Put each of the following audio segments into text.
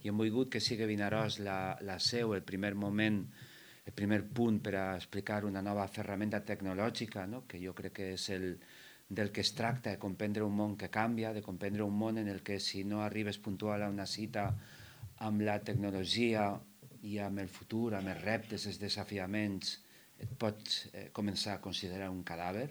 i hem volgut que sigui Vinaròs la seu, el primer moment, el primer punt per a explicar una nova ferramenta tecnològica, no? Que jo crec que és del que es tracta, de comprendre un món que canvia, de comprendre un món en el que si no arribes puntual a una cita amb la tecnologia i amb el futur, amb els reptes, els desafiaments, et pots començar a considerar un cadàver,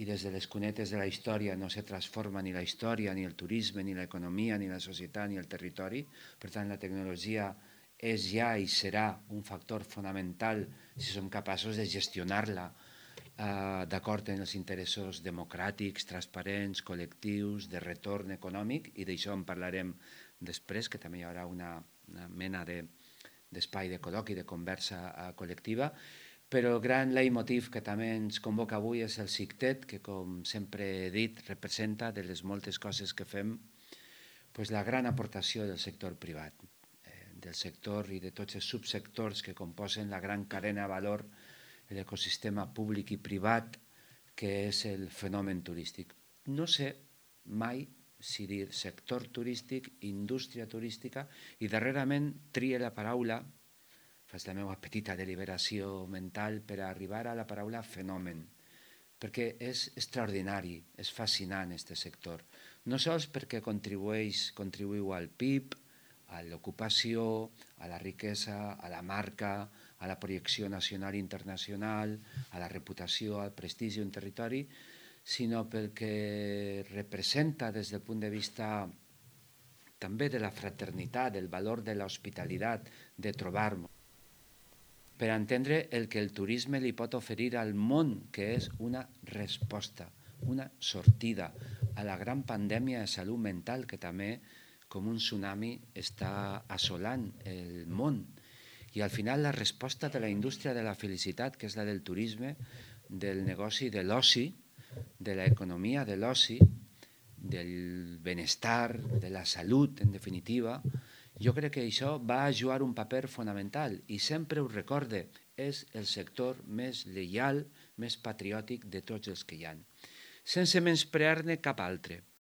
i des de les cunetes de la història no se transforma ni la història, ni el turisme, ni l'economia, ni la societat, ni el territori. Per tant, la tecnologia és ja i serà un factor fonamental si som capaços de gestionar-la d'acord amb els interessos democràtics, transparents, col·lectius, de retorn econòmic, i d'això en parlarem després, que també hi haurà una mena d'espai de col·loqui, de conversa col·lectiva. Però el gran leitmotiv que també ens convoca avui és el CICTET, que, com sempre he dit, representa de les moltes coses que fem la gran aportació del sector privat, del sector i de tots els subsectors que composen la gran cadena de valor, l'ecosistema públic i privat que és el fenomen turístic. No sé mai si dir sector turístic, indústria turística, i darrerament trie la paraula, faig la meva petita deliberació mental per arribar a la paraula fenomen, perquè és extraordinari, és fascinant aquest sector. No sols perquè contribuïu al PIB, a l'ocupació, a la riquesa, a la marca, a la projecció nacional i internacional, a la reputació, al prestigi d'un territori, sinó perquè representa des del punt de vista també de la fraternitat, del valor de l'hospitalitat, de trobar-nos, per entendre el que el turisme li pot oferir al món, que és una resposta, una sortida a la gran pandèmia de salut mental que també, com un tsunami, està assolant el món. I al final la resposta de la indústria de la felicitat, que és la del turisme, del negoci de l'oci, de l'economia de l'oci, del benestar, de la salut, en definitiva, jo crec que això va jugar un paper fonamental i sempre ho recorde, és el sector més lleial, més patriòtic de tots els que hi ha. Sense menysprear-ne cap altre,